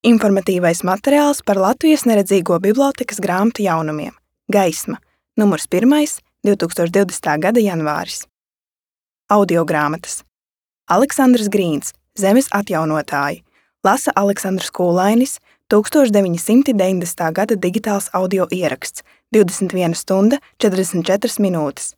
Informatīvais materiāls par Latvijas neredzīgo bibliotēkas grāmatu jaunumiem. Gaisma, numurs 1, 2020. gada janvāris. Audiogrāmatas. Aleksandrs Grīns, Zemes atjaunotāji. Lasa Aleksandrs Kūlainis, 1990. gada digitāls audio ieraksts, 21 stunda 44 minūtes.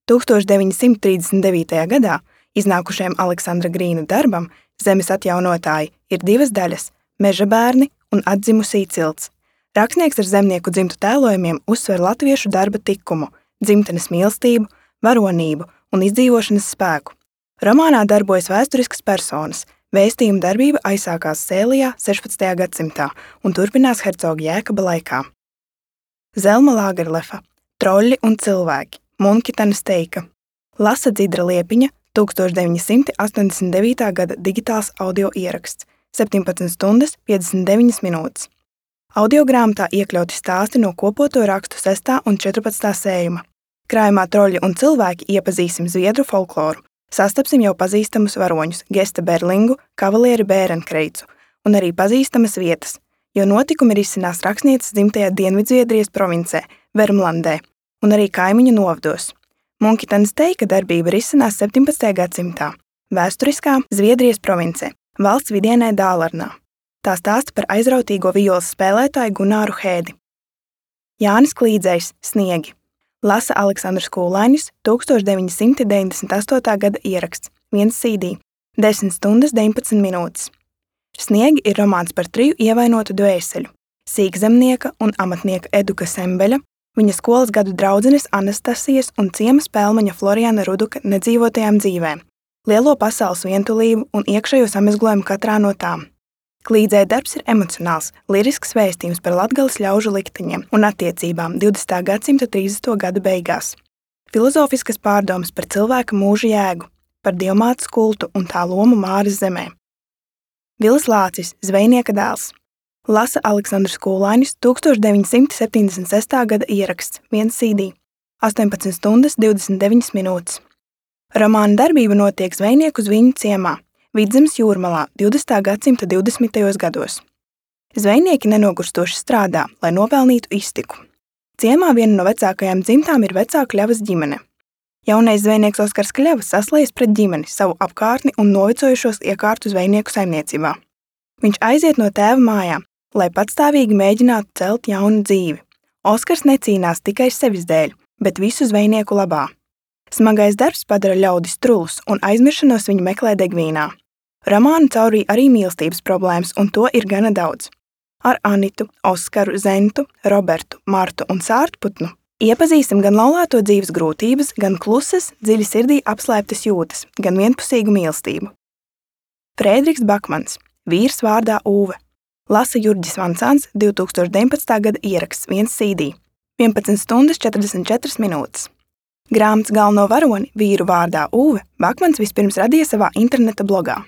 1939. gadā iznākušajam Aleksandra Grīna darbam Zemes atjaunotāji ir 2 daļas – Meža bērni un Atdzimusī cilts. Rakstnieks ar zemnieku dzimtu tēlojumiem uzsver latviešu darba tikumu, dzimtenes mīlestību, varonību un izdzīvošanas spēku. Romānā darbojas vēsturiskas personas. Vēstījuma darbība aizsākās Sēlijā 16. gadsimtā un turpinās hercoga Jēkaba laikā. Zelma Lagerlefa, Troļļi un cilvēki, Munkitenes teika. Lasa Dzidra Liepiņa, 1989. gada digitāls audio ieraksts, 17 stundas 59 minūtes. Audiogrāmatā iekļauti stāsti no kopoto rakstu 6. un 14. sējuma. Krājumā Troļļi un cilvēki iepazīsim zviedru folkloru. Sastapsim jau pazīstamus varoņus Gesta Berlingu, kavalieri Bērenkreicu un arī pazīstamas vietas, jo notikumi risinās rakstnieces dzimtajā Dienvidzviedrijas provincē, Vermlandē un arī kaimiņu novados. Munkitenes teika darbība risinās 17. gadsimtā, vēsturiskā Zviedrijas provincē, valsts vidienē Dālarnā. Tā stāsta par aizrautīgo violas spēlētāju Gunāru Hēdi. Jānis Klīdzējs, Sniegi. Lasa Aleksandrs Kūlainis, 1998. gada ieraksts, 1 CD, 10 stundas 19 minūtes. Sniegi ir romāns par 3 ievainotu dvēseļu – sīkzemnieka un amatnieka Eduka Sembeļa, viņa skolas gadu draudzenes Anastasijas un ciema spēlmaņa Floriana Ruduka nedzīvotajām dzīvēm, lielo pasaules vientulību un iekšējo samezglojumu katrā no tām. Klīdzēja darbs ir emocionāls, lirisks vēstījums par latgales ļaužu likteņiem un attiecībām 20. gadsimta 30. gadu beigās. Filozofiskas pārdomas par cilvēka mūža jēgu, par dievmātes kultu un tā lomu Māras zemē. Vilis Lācis, Zvejnieka dēls. Lasa Aleksandrs Kūlainis, 1976. gada ieraksts, 1 CD, 18 stundas 29 minūtes. Romāna darbība notiek zvejnieku Zviņu ciemā, Vidzemes jūrmalā 20. gadsimta 20. gados. Zvejnieki nenogurstoši strādā, lai nopelnītu iztiku. Ciemā viena no vecākajām dzimtām ir vecā Kļavas ģimene. Jaunais zvejnieks Oskars Kļava saslējas pret ģimeni, savu apkārtni un novecojušos iekārtu zvejnieku saimniecībā. Viņš aiziet no tēva mājām, lai patstāvīgi mēģinātu celt jaunu dzīvi. Oskars necīnās tikai sevis dēļ, bet visu zvejnieku labā. Smagais darbs padara ļaudis trulus un aizmiršanos viņi meklē degvīnā. Romānu caurīja arī mīlestības problēmas, un to ir gana daudz. Ar Anitu, Oskaru, Zentu, Robertu, Martu un Sārtputnu iepazīstam gan laulāto dzīves grūtības, gan klusas, dziļi sirdī apslēptas jūtas, gan vienpusīgu mīlestību. Frēdriks Bakmans, vīrs vārdā Ūve. Lasa Jurģis Vancāns, 2019. gada ieraksts, 1 CD, 11 stundas 44 minūtes. Grāmatas galveno varoni, vīru vārdā Ūve, Bakmans vispirms radīja savā interneta blogā.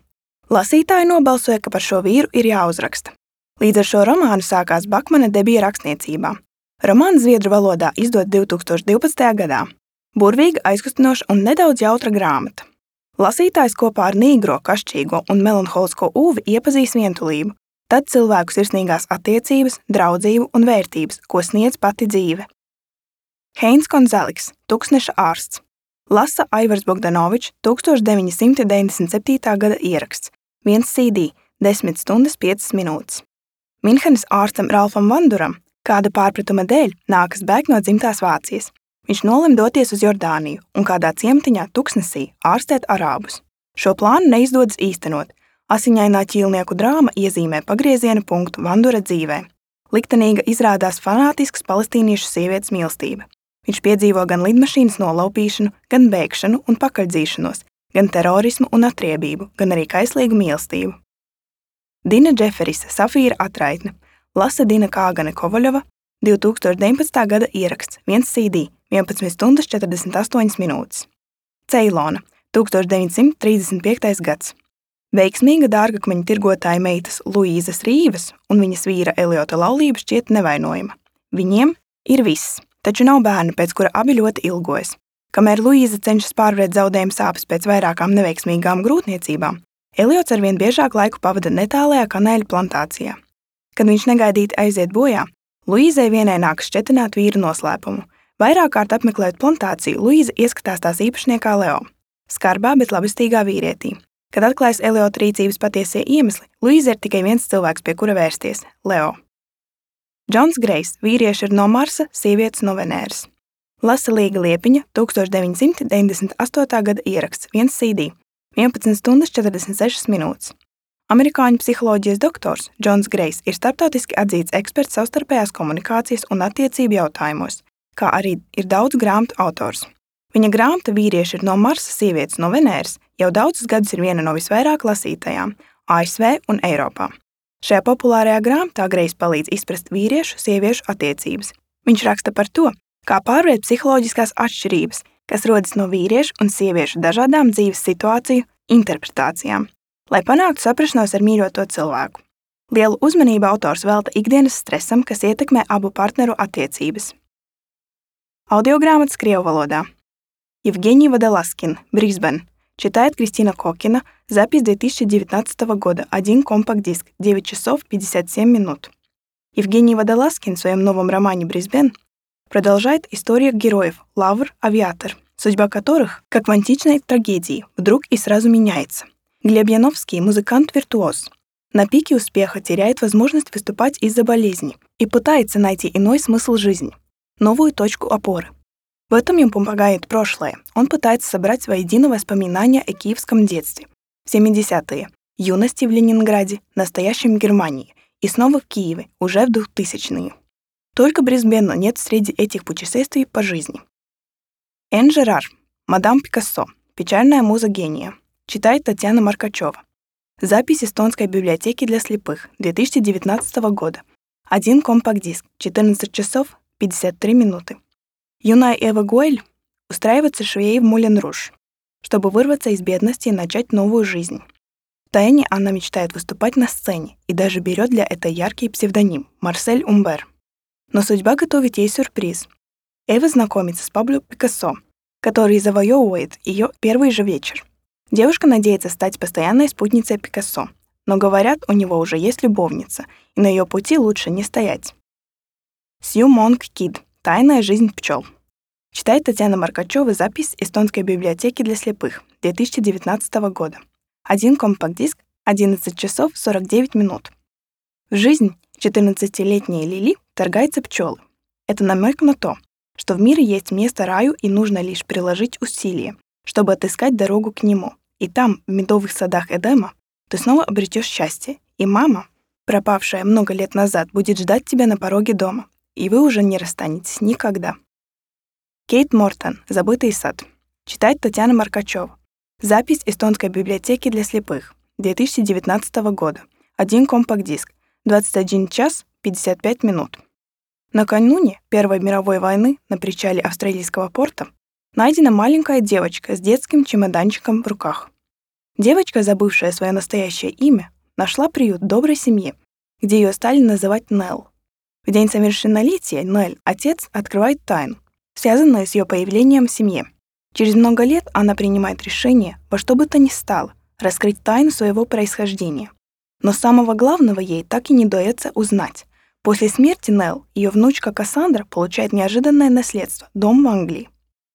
Lasītāji nobalsoja, ka par šo vīru ir jāuzraksta. Līdz ar šo romānu sākās Bakmana debija rakstniecībā. Romāns zviedru valodā izdot 2012. gadā. Burvīga, aizkustinoša un nedaudz jautra grāmata. Lasītājs kopā ar nīgro, kašķīgo un melanholisko Ūvi iepazīs vientulību, tad cilvēku sirsnīgās attiecības, draudzību un vērtības, ko sniedz pati dzīve. Heins Konzeliks, Tuksneša ārsts. Lasa Aivars Bogdanovičs, 1997. gada ieraksts, 1 CD, 10 stundas 5 minūtes. Minhenes ārstam Ralfam Vanduram kāda pārpratuma dēļ nākas bēgt no dzimtās Vācijas. Viņš nolem doties uz Jordāniju un kādā ciematiņā Tuksnesī ārstēt arābus. Šo plānu neizdodas īstenot. Asiņainā ķīlnieku drāma iezīmē pagrieziena punktu Vandura dzīvē. Liktenīga izrādās fanātisks palestīniešu sievietes mīlestība. Viņš piedzīvo gan lidmašīnas nolaupīšanu, gan bēgšanu un pakaļdzīšanos, gan terorismu un atriebību, gan arī kaislīgu mīlestību. Dina Džeferisa, Safīra atraitne. Lasa Dina Kāgane Kovaļova, 2019. gada ieraksts, 1 CD, 11 stundas 48 minūtes. Ceilona, 1935. gads. Veiksmīga dārgakmeņa tirgotāja meitas Luīzas Rīvas un viņas vīra Eliota laulība šķiet nevainojama. Viņiem ir viss, taču nav bērni, pēc kura abi ļoti ilgojas. Kamēr Luīza cenšas pārvarēt zaudējumu sāpes pēc vairākām neveiksmīgām grūtniecībām, Eliots arvien biežāk laiku pavada netālajā kanēļu plantācijā. Kad viņš negaidīti aiziet bojā, Luīzei vienai nākas šķetināt vīra noslēpumu. Vairāk kārt apmeklējot plantāciju, Luīza ieskatās tās īpašniekā Leo, skarbā, bet labestīgā vīrietī. Kad atklājas Eliota rīcības patiesie iemesli, Luīza ir tikai viens cilvēks, pie kura vērsties – Leo. Džons Grejs, vīrieši ir no Marsa, sievietes no Venēras. Lasa Līga Liepiņa, 1998. gada ieraksts, 1 CD, 11 stundas 46 minūtes. Amerikāņu psiholoģijas doktors Džons Grejs ir starptautiski atzīts eksperts savstarpējās komunikācijas un attiecību jautājumos, kā arī ir daudz grāmatu autors. Viņa grāmata Vīrieši ir no Marsa, sievietes no Venēras jau daudzus gadus ir viena no visvairāk lasītajām ASV un Eiropā. Šajā populārajā grāmatā Grejs palīdz izprast vīriešu-sieviešu attiecības. Viņš raksta par to, kā pārvarēt psiholoģiskās atšķirības, kas rodas no vīriešu un sieviešu dažādām dzīves situāciju interpretācijām, lai panāktu saprašanos ar mīļoto cilvēku. Lielu uzmanību autors velta ikdienas stresam, kas ietekmē abu partneru attiecības. Audiogrāmatas krievu valodā. Евгений Водолазкин, Брисбен. Читает Кристина Кокина. Запись 2019 года. 1 компакт-диск. 9 часов 57 минут. Евгений Водолазкин в своем новом романе «Брисбен» продолжает историю героев Лавр, Авиатор, судьба которых, как в античной трагедии, вдруг и сразу меняется. Глеб Яновский – музыкант-виртуоз. На пике успеха теряет возможность выступать из-за болезни и пытается найти иной смысл жизни, новую точку опоры. В этом ему помогает прошлое. Он пытается собрать воедино воспоминания о киевском детстве, в 70-е, юности в Ленинграде, настоящем Германии и снова в Киеве, уже в 2000-е. Только Брисбена нет среди этих путешествий по жизни. Энн Жерар, Мадам Пикассо, печальная муза гения. Читает Татьяна Маркачева. Запись эстонской библиотеки для слепых 2019 года. 1 компакт-диск, 14 часов 53 минуты. Юная Эва Гуэль устраивается швеей в Мулен-Руж, чтобы вырваться из бедности и начать новую жизнь. Втайне она мечтает выступать на сцене и даже берет для этого яркий псевдоним Марсель Умбер. Но судьба готовит ей сюрприз. Эва знакомится с Пабло Пикассо, который завоевывает ее первый же вечер. Девушка надеется стать постоянной спутницей Пикассо, но, говорят, у него уже есть любовница, и на ее пути лучше не стоять. Сью Монг Кид. Тайная жизнь пчел. Читает Татьяна Маркачева. Запись эстонской библиотеки для слепых 2019 года. 1 компакт-диск, 11 часов 49 минут. В жизнь 14-летней Лили вторгается пчелы. Это намек на то, что в мире есть место раю и нужно лишь приложить усилия, чтобы отыскать дорогу к нему. И там, в медовых садах Эдема, ты снова обретешь счастье, и мама, пропавшая много лет назад, будет ждать тебя на пороге дома, и вы уже не расстанетесь никогда. Кейт Мортон. Забытый сад. Читает Татьяна Маркачева. Запись эстонской библиотеки для слепых 2019 года. 1 компакт-диск. 21 час 55 минут. Накануне Первой мировой войны на причале австралийского порта найдена маленькая девочка с детским чемоданчиком в руках. Девочка, забывшая свое настоящее имя, нашла приют в доброй семье, где ее стали называть Нелл. В день совершеннолетия Нелл, отец, открывает тайну, связанную с ее появлением в семье. Через много лет она принимает решение во что бы то ни стало раскрыть тайну своего происхождения. Но самого главного ей так и не удается узнать. После смерти Нелл ее внучка Кассандра получает неожиданное наследство – дом в Англии.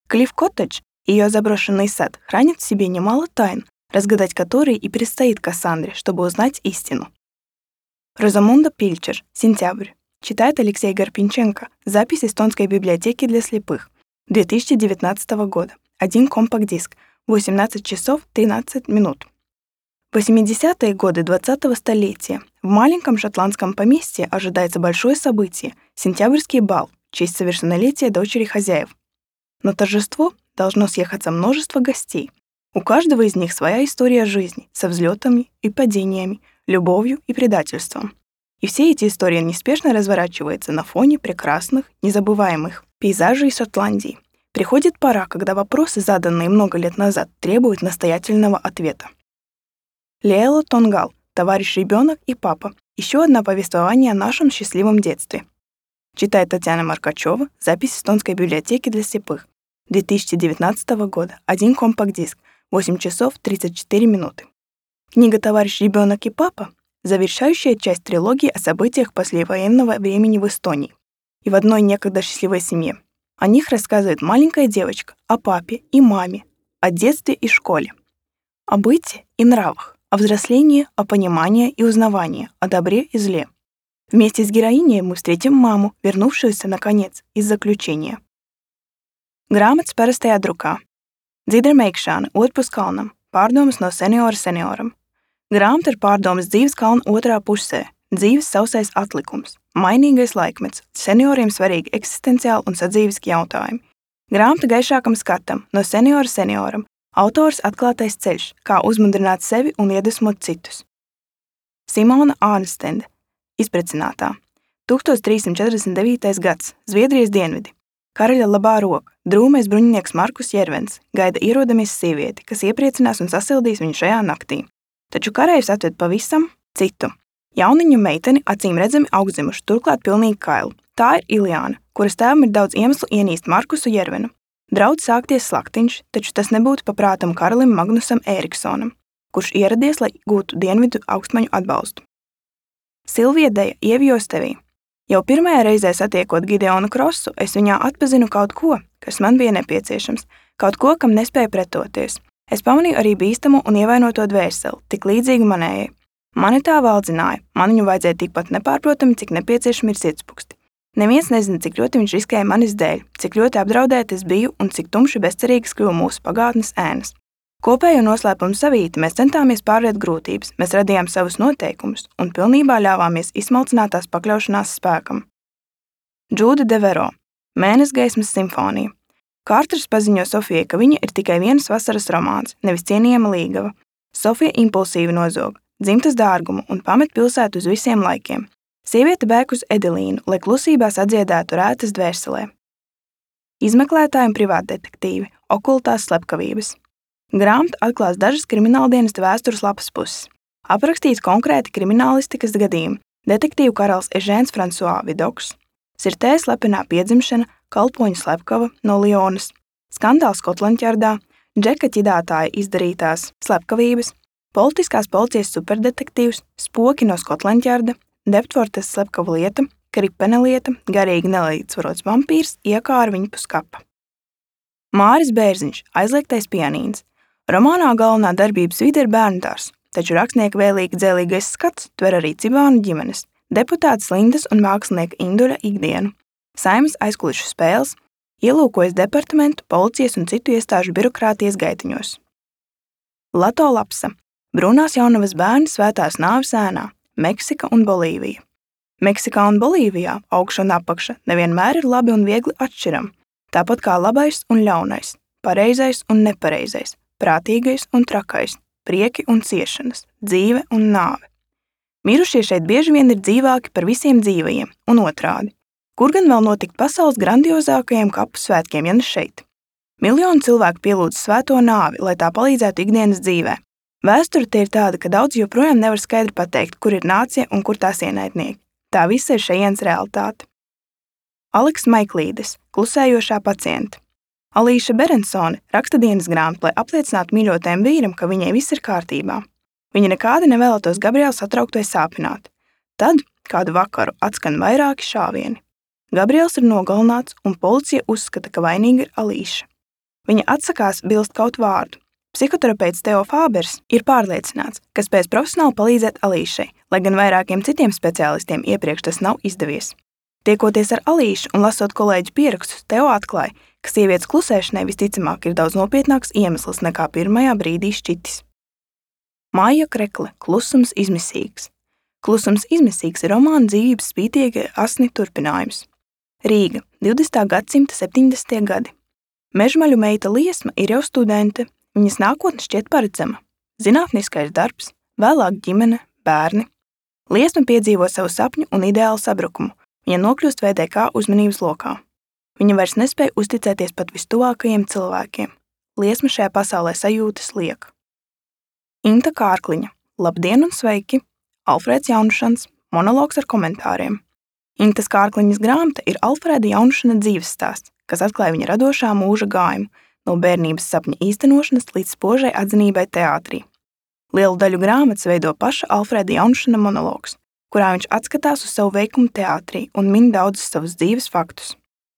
Клифф-коттедж, ее заброшенный сад, хранит в себе немало тайн, разгадать которые и предстоит Кассандре, чтобы узнать истину. Розамунда Пильчер. Сентябрь. Читает Алексей Гарпинченко. Запись эстонской библиотеки для слепых 2019 года. 1 компакт-диск. 18 часов 13 минут. В 80-е годы 20-го столетия в маленьком шотландском поместье ожидается большое событие – сентябрьский бал в честь совершеннолетия дочери хозяев. На торжество должно съехаться множество гостей. У каждого из них своя история жизни со взлетами и падениями, любовью и предательством. И все эти истории неспешно разворачиваются на фоне прекрасных, незабываемых пейзажей Шотландии. Приходит пора, когда вопросы, заданные много лет назад, требуют настоятельного ответа. Леэла Тонгал. Товарищ ребенок и папа. Еще одно повествование о нашем счастливом детстве. Читает Татьяна Маркачева. Запись эстонской библиотеки для слепых 2019 года. 1 компакт-диск. 8 часов 34 минуты. Книга «Товарищ ребенок и папа» завершающая часть трилогии о событиях послевоенного времени в Эстонии и в одной некогда счастливой семье. О них рассказывает маленькая девочка, о папе и маме, о детстве и школе, о быте и нравах, о взрослении, о понимании и узнавании, о добре и зле. Вместе с героиней мы встретим маму, вернувшуюся, наконец, из заключения. Grāmatas parastajā drukā. Dzidra meikšana, otrs kalnam, pārdomas no seniora senioram. Grāmata ir pārdomas dzīves kalna otrā pusē, dzīves sausais atlikums, mainīgais laikmets, senioriem svarīgi eksistenciāli un sadzīviski jautājumi. Grāmata gaišākam skatam, no seniora senioram, autors atklātais ceļš, kā uzmundrināt sevi un iedvesmot citus. Simona Ārnstende, izprecinātā. 1349. gads, Zviedrijas dienvidi. Karaļa labā roka, drūmais bruņinieks Markus Jervens, gaida ierodamies sievieti, kas iepriecinās un sasildīs viņu šajā naktī. Taču karējs atved pavisam citu. Jauniņu meiteni acīm redzami augstzimuši, turklāt pilnīgi kailu. Tā ir Iljāna, kuras tēvam ir daudz iemeslu ienīst Markusu Jervenu. Draudz sākties slaktiņš, taču tas nebūtu paprātam karalim Magnusam Ēriksonam, kurš ieradies, lai gūtu dienvidu augstmaņu atbalstu. Silvija Deja, ievijos tevī. Jau pirmajā reizē satiekot Gideonu Krosu, es viņā atpazinu kaut ko, kas man bija nepieciešams, kaut ko, kam nespēju pretoties. Es pamanīju arī bīstamo un ievainoto dvēseli, tik līdzīgu manējai. Mani tā valdzināja, man viņu vajadzēja tikpat nepārprotami, cik nepieciešami ir sirdspuksti. Neviens nezina, cik ļoti viņš riskēja manis dēļ, cik ļoti apdraudēta es biju un cik tumši bezcerīgas kļuva mūsu pagātnes ēnas. Kopējo noslēpumu savīti mēs centāmies pārvarēt grūtības, mēs radījām savus noteikumus un pilnībā ļāvāmies izsmalcinātās pakļaušanās spēkam. Džūda Devero, Mēnesgaismas simfonija. Kārters paziņo Sofijai, ka viņa ir tikai vienas vasaras romāns, nevis cienījama līgava. Sofija impulsīvi nozog, dzimtas dārgumu un pamet pilsētu uz visiem laikiem. Sieviete bēg uz Edelīnu, lai klusībā sadziedētu rētas dvēselē. Izmeklētāji un privātdetektīvi, okultās slepkavības. Grāmata atklās dažas krimināldienesta vēstures lapas puses. Aprakstīts konkrēti kriminālistikas gadījumi, detektīvu karalis Ežēns Fransuā Vidoks, Sirtē slepenā piedzimšana, kalpoņu slepkava no Lionas, skandāls Skotlandjardā, Džeka ķidātāja izdarītās slepkavības, politiskās policijas superdetektīvs, spoki no Skotlandjarda, Deptvortes slepkava lieta, Kripene lieta, garīgi nelīdzsvarots vampīrs iekāra viņu pus kapa. Māris Bērziņš, aizliegtais pianīns. Romānā galvenā darbības vide ir bērndārs, taču rakstnieka vēlīgi dzēlīgais skats tver arī cibānu ģimenes, deputātes Lindas un mākslinieka Induļa ikdienu, saimas aizkulišu spēles, ielūkojas departamentu, policijas un citu iestāžu birokrātijas gaitiņos. Lato Lapsa, Brūnās jaunavas bērni svētās nāves ēnā, Meksika un Bolīvija. Meksikā un Bolīvijā augša un apakša nevienmēr ir labi un viegli atšķiram, tāpat kā labais un ļaunais, pareizais un nepareizais, prātīgais un trakais, prieki un ciešanas, dzīve un nāve. Mirušie šeit bieži vien ir dzīvāki par visiem dzīvajiem, un otrādi. Kur gan vēl notikt pasaules grandiozākajiem kapu svētkiem, ja ne šeit? Miljoni cilvēku pielūdz svēto nāvi, lai tā palīdzētu ikdienas dzīvē. Vēsture te ir tāda, ka daudz joprojām nevar skaidri pateikt, kur ir nācija un kur tās ienaidnieki. Tā visa ir šejienes realitāte. Aleks Maiklīdes, Klusējošā pacienta. Alīša Berensone raksta dienas grāmatu, lai apliecinātu mīļotajam vīram, ka viņai viss ir kārtībā. Viņa nekādi nevēlētos Gabrielu satraukt vai sāpināt. Tad, kādu vakaru, atskan vairāki šāvieni. Gabriels ir nogalināts, un policija uzskata, ka vainīga ir Alīša. Viņa atsakās bilst kaut vārdu. Psihoterapeits Teo Fābers ir pārliecināts, ka spēs profesionāli palīdzēt Alīšai, lai gan vairākiem citiem speciālistiem iepriekš tas nav izdevies. Tiekoties ar Alīšu un lasot kolēģu pierakstus, Teo atklāja, ka sievietes klusēšanai visticamāk ir daudz nopietnāks iemesls nekā pirmajā brīdī šķitis. Maija Krekle, Klusums izmisīgs. Klusums izmisīgs ir romāna dzīvības spītīga asni turpinājums. Rīga, 20. gadsimta 70. gadi. Mežmaļu meita Liesma ir jau studente, viņas nākotne šķiet paredzama. Zinātniskais darbs, vēlāk ģimene, bērni. Liesma piedzīvo savu sapņu un ideālu sabrukumu. Viņa nokļūst VDK uzmanības lokā. Viņa vairs nespēja uzticēties pat vistuvākajiem cilvēkiem. Liesma šajā pasaulē sajūtas liek. Inta Kārkliņa, Labdien un sveiki! Alfrēds Jaunušans, monologs ar komentāriem. Intas Kārkliņas grāmata ir Alfrēda Jaunušana dzīves stāsts, kas atklāja viņa radošā mūža gājumu, no bērnības sapņa īstenošanas līdz spožai atzinībai teātrī. Lielu daļu grāmatas veido paša Alfrēda Jaunšana monologs, kurā viņš atskatās uz savu veikumu teātrī un min daudzus savus dzīves faktus,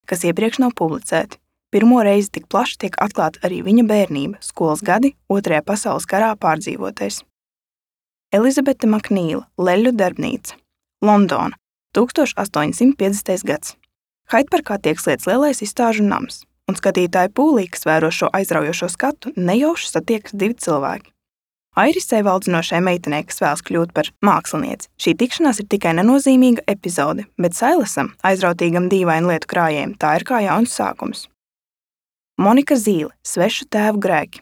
kas iepriekš nav publicēti. Pirmo reizi tik plaši tiek atklāta arī viņa bērnība, skolas gadi, Otrajā pasaules karā pārdzīvotais. Elizabete Maknīla, Leļu darbnīca, Londona, 1850. gads. Haidparkā tiek slēgts lielais izstāžu nams, un skatītāju pūlī, kas vēro šo aizraujošo skatu, nejauši satiekas divi cilvēki. Airisei valdzinošai meitenei, kas vēlas kļūt par mākslinieci, šī tikšanās ir tikai nenozīmīga epizode, bet Sailasam, aizrautīgam dīvainu lietu krājējiem, tā ir kā jauns sākums. Monika Zīle, Svešu tēvu grēki.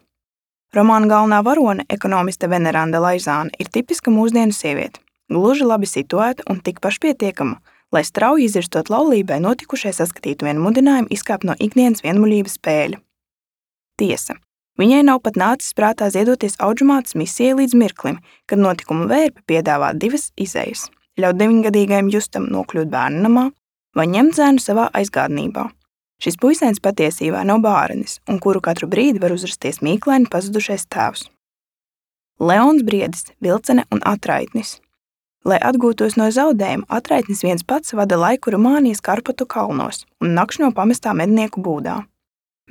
Romāna galvenā varone, ekonomiste Veneranda Laizāne, ir tipiska mūsdienu sieviete, gluži labi situēta un tik pašpietiekama, lai strauji izvirstot laulībai notikušai saskatītu vienu mudinājumu izkāpt no ikdienas vienmuļības spēļa. Tiesa, viņai nav pat nācis prātā ziedoties audžumātes misijai līdz mirklim, kad notikuma vērpi piedāvā divas izejas – ļaut 9-gadīgajam Justam nokļūt bērnamā vai ņemt zēnu savā aizgādnībā. Šis puisēns patiesībā nav bārenis, un kuru katru brīdi var uzrasties mīklaini pazudušais tēvs. Leons Briedis, Vilcene un Atraitnis. Lai atgūtos no zaudējuma, Atraitnis viens pats vada laiku Rumānijas Karpatu kalnos un nakšņo pamestā mednieku būdā.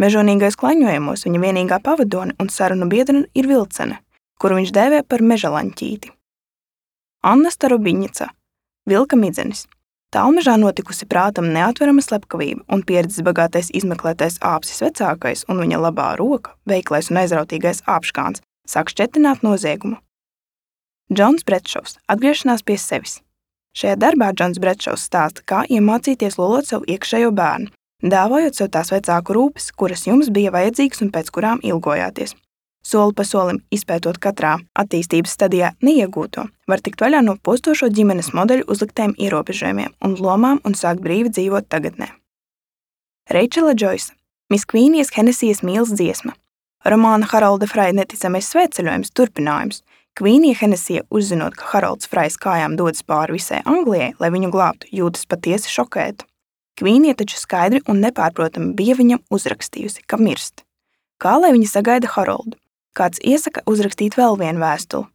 Mežonīgais klaņojumos viņa vienīgā pavadone un sarunu biedrene ir Vilcene, kuru viņš dēvē par mežalaņķīti. Anna Starobiņica, Vilka midzenis. Tālmežā notikusi prātam neatverama slepkavība un pieredzes bagātais izmeklētais āpsis vecākais un viņa labā roka, veiklais un aizrautīgais āpškāns, sāk šķetināt noziegumu. Džons Bretšovs, atgriešanās pie sevis. Šajā darbā Džons Bretšovs stāsta, kā iemācīties lolot savu iekšējo bērnu, dāvājot sev tās vecāku rūpes, kuras jums bija vajadzīgas un pēc kurām ilgojāties. Soli pa solim izpētot katrā attīstības stadijā neiegūto, var tikt vaļā no postošo ģimenes modeļu uzliktiem ierobežojumiem un lomām un sākt brīvi dzīvot tagadnē. Reičela Džoisa, Miss Kvīnijas Henesijas mīlas dziesma. Romāna Harolda Fraja neticamais svētceļojums turpinājums. Kvīnija Henesija, uzzinot, ka Harolds Frajs kājām dodas pāri visai Anglijai, lai viņu glābtu, jūtas patiesi šokēta. Kvīnija taču skaidri un nepārprotami bija viņam uzrakstījusi, ka mirst. Kā lai viņa sagaida Haroldu? Kāds iesaka uzrakstīt vēl vienu vēstuli.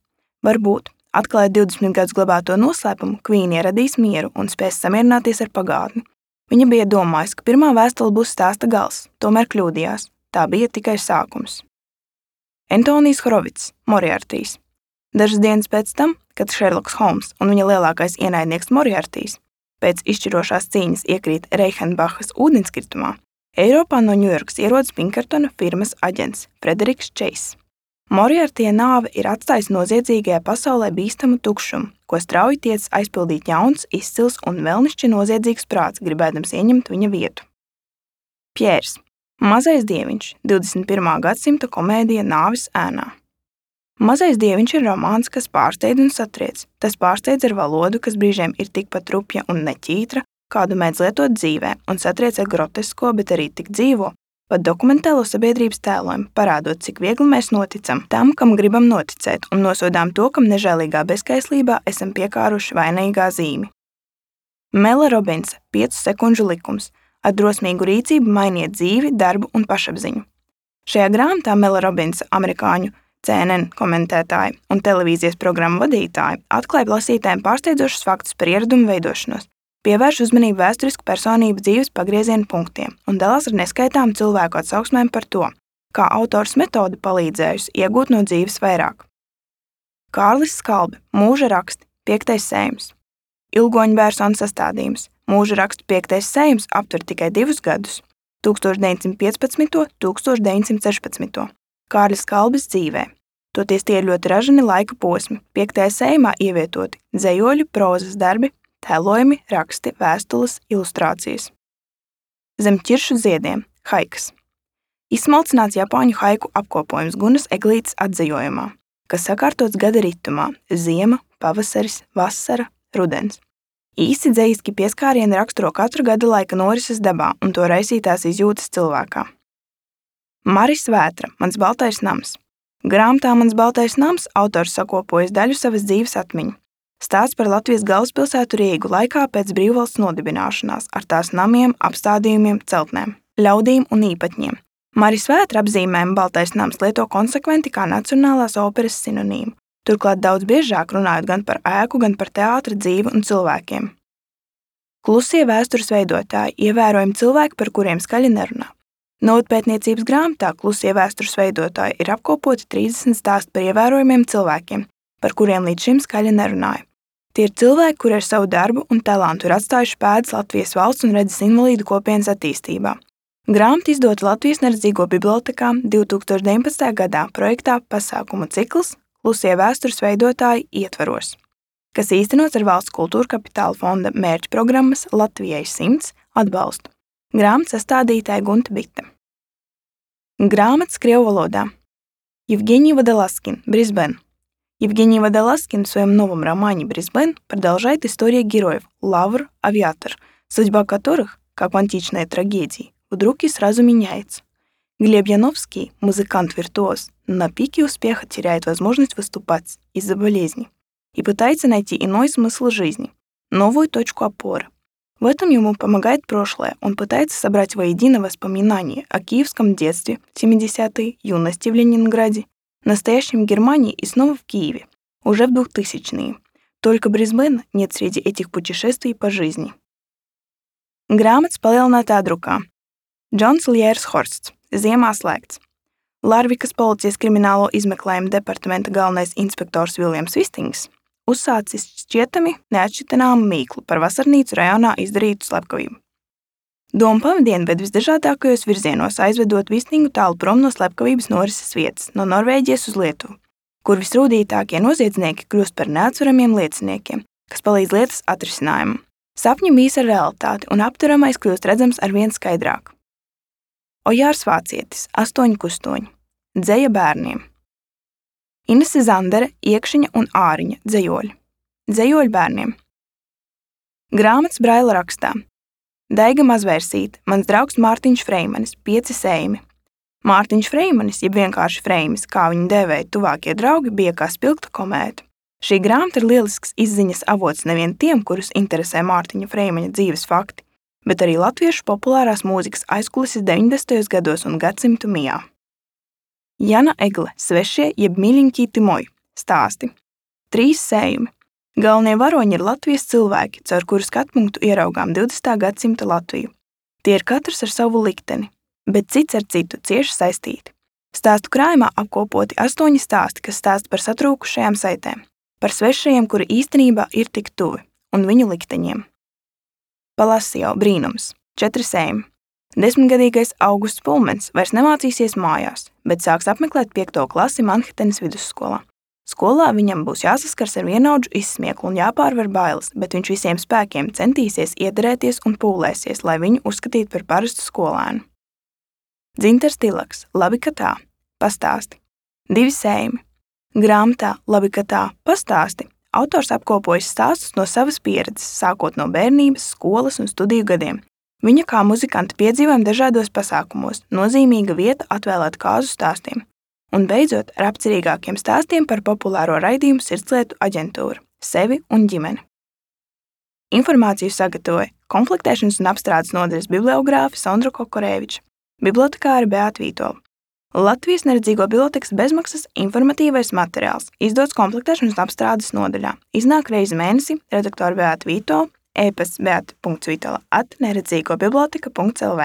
Varbūt, atklājot 20 gadus glabāto noslēpumu, Kvīnija radīs mieru un spēs samierināties ar pagātni. Viņa bija domājusi, ka pirmā vēstule būs stāsta gals, tomēr kļūdījās. Tā bija tikai sākums. Antonijs Horovits, Moriartijs. Dažas dienas pēc tam, kad Šerloks Holms un viņa lielākais ienaidnieks Moriartijs pēc izšķirošās cīņas iekrīt Reichenbachas ūdenskritumā, Eiropā no Ņujorkas ierodas Pinkertona firmas aģents Frederiks Čeiss. Moriartija nāve ir atstājusi noziedzīgajā pasaulē bīstamu tukšumu, ko strauji tiec aizpildīt jauns, izcils un vēlnišķi noziedzīgs prāts, gribēdams ieņemt viņa vietu. Pjērs, Mazais dieviņš, 21. gadsimta komēdija Nāves ēnā. Mazais dieviņš ir romāns, kas pārsteidz un satriec. Tas pārsteidz ar valodu, kas brīžiem ir tikpat rupja un neķītra, kādu mēdz lietot dzīvē, un satriec ar grotesko, bet arī tik dzīvo, pat dokumentālo sabiedrības tēlojumu, parādot, cik viegli mēs noticam tam, kam gribam noticēt, un nosodām to, kam nežēlīgā bezskaislībā esam piekāruši vainīgā zīmi. Mela Robinsa, 5 sekundžu likums. Ar drosmīgu rīcību mainiet dzīvi, darbu un pašapziņu. Šajā grāmatā Mela Robinsa, amerikāņu CNN komentētāja un televīzijas programmu vadītāja, atklāja lasītājiem pārsteidzošus faktus par ieradumu veidošanos, pievērš uzmanību vēsturisku personību dzīves pagrieziena punktiem un dalās ar neskaitām cilvēku atsauksmēm par to, kā autors metode palīdzējusi iegūt no dzīves vairāk. Kārlis Skalbe, Mūža raksti, 5. sējums. Ilgoņa Bērsona sastādījums. Mūža rakstu 5. sējums aptver tikai 2 gadus – 1915. 1916. Kārlis Skalbes dzīvē. Toties tie ir ļoti ražani laika posmi. 5. sējumā ievietoti dzejoļu, prozas darbi, tēlojumi, raksti, vēstules, ilustrācijas. Zem ķiršu ziediem – haikas. Izsmalcināts japāņu haiku apkopojums Gunas Eglītes atzejojumā, kas sakārtots gada ritumā – ziema, pavasaris, vasara, rudens. Īsi dzejiski pieskārieni raksturo katru gada laika norises dabā un to raisītās izjūtas cilvēkā. Maris Vētra, Mans baltais nams. Grāmatā Mans baltais nams autors sakopojas daļu savas dzīves atmiņu. Stāsts par Latvijas galvaspilsētu Rīgu laikā pēc brīvvalsts nodibināšanās ar tās namiem, apstādījumiem, celtnēm, ļaudīm un īpatņiem. Maris Vētra apzīmējumu baltais nams lieto konsekventi kā nacionālās operas sinonīmu. turklāt daudz biežāk runājot gan par ēku, gan par teātra dzīvi un cilvēkiem. Klusie vēstures veidotāji - ievērojami cilvēki, par kuriem skaļi nerunā. Novadpētniecības grāmatā Klusie vēstures veidotāji ir apkopoti 30 stāsti par ievērojamiem cilvēkiem, par kuriem līdz šim skaļi nerunāja. Tie ir cilvēki, kuri ar savu darbu un talantu ir atstājuši pēdas Latvijas valsts un redzes invalīdu kopienas attīstībā. Grāmata izdota Latvijas neredzīgo bibliotekā 2019. gadā projektā pasākumu cikls Klusie vēstures veidotāji ietvaros, kas īstenots ar Valsts kultūra kapitāla fonda mērķu programmas Latvijai 100 atbalstu. Grāmatas sastādītāja Gunta Bite. Грамота крievu валода. Евгений Водолазкин, Брисбен. Евгений Водолазкин в своем новом романе «Брисбен» продолжает историю героев Лавр, Авиатор, судьба которых, как в античной трагедии, вдруг и сразу меняется. Глеб Яновский, музыкант-виртуоз, на пике успеха теряет возможность выступать из-за болезни и пытается найти иной смысл жизни, новую точку опоры. В этом ему помогает прошлое. Он пытается собрать воедино воспоминания о киевском детстве, 70-е, юности в Ленинграде, настоящем Германии и снова в Киеве, уже в 2000-е. Только Брисбена нет среди этих путешествий по жизни. Grāmatas palielinātā drukā. Džons Ljērs Horsts, Ziemā slēgts. Larvikas policijas kriminālo izmeklējumu departamenta galvenais inspektors Viljams Vistings uzsācis šķietami neatšķitināmu mīklu par vasarnīcu rajonā izdarītu slepkavību. Doma pavadiena ved visdažādākajos virzienos, aizvedot Vistingu tālu prom no slepkavības norises vietas, no Norvēģijas uz Lietuvu, kur visrūdītākie noziedznieki kļūst par neatsveramiem lieciniekiem, kas palīdz lietas atrisinājumam. Sapņi mīs ar realitāti, un apturamais kļūst redzams arvien skaidrāk. Ojārs Vācietis, 8 kustoņi. Dzeja bērniem. Inese Zandere, Iekšiņa un Āriņa dzejoļi. Dzejoļi bērniem. Grāmatas Braila rakstā. Daiga Mazvērsīte, mans draugs Mārtiņš Freimanis, 5 sējumi. Mārtiņš Freimanis, jeb vienkārši Freimis, kā viņu dēvēja tuvākie draugi, bija kā spilgta komēta. Šī grāmata ir lielisks izziņas avots nevien tiem, kurus interesē Mārtiņa Freimaņa dzīves fakti, bet arī latviešu populārās mūzikas aizkulises 90. gados un gadsimtu mijā. Jana Egle, Svešie jeb Miļiņķīti moji, stāsti. 3 sējumi. Galvenie varoņi ir Latvijas cilvēki, caur kuru skatpunktu ieraugām 20. gadsimta Latviju. Tie ir katrs ar savu likteni, bet cits ar citu cieši saistīti. Stāstu krājumā apkopoti 8 stāsti, kas stāsta par satrūkušajām saitēm, par svešajiem, kuri īstenībā ir tik tuvi, un viņu likteņiem. Palasio brīnums, 4 sējumi. 10-gadīgais Augusts Pulmens vairs nemācīsies mājās, bet sāks apmeklēt 5. klasi Manhetenes vidusskolā. Skolā viņam būs jāsaskars ar vienaudžu izsmieklu un jāpārvar bailes, bet viņš visiem spēkiem centīsies iederēties un pūlēsies, lai viņu uzskatītu par parastu skolēnu. Dzintars Tilaks, Labi, ka tā, pastāsti. 2 sējumi. Grāmatā Labi, ka tā, pastāsti autors apkopojas stāstus no savas pieredzes, sākot no bērnības, skolas un studiju gadiem. Viņa kā muzikanta piedzīvojumi dažādos pasākumos, nozīmīga vieta atvēlēta kāzu stāstiem, un beidzot ar apcerīgākiem stāstiem par populāro raidījumu Sirdslietu aģentūru, sevi un ģimeni. Informāciju sagatavoja komplektēšanas un apstrādes nodaļas bibliogrāfe Sondra Kokoreviča, bibliotekāre Beāta Vītola. Latvijas neredzīgo bibliotekas bezmaksas informatīvais materiāls, izdots komplektēšanas un apstrādes nodaļā. Iznāk reizi mēnesi, redaktora Beāta Vītola, e-pasts beata.vitola@neredzīgobiblioteka.lv,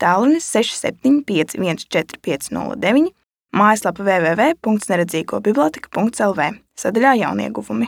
tālrunis 67514509, mājaslapa www.neredzīgobiblioteka.lv, sadaļā jaunieguvumi.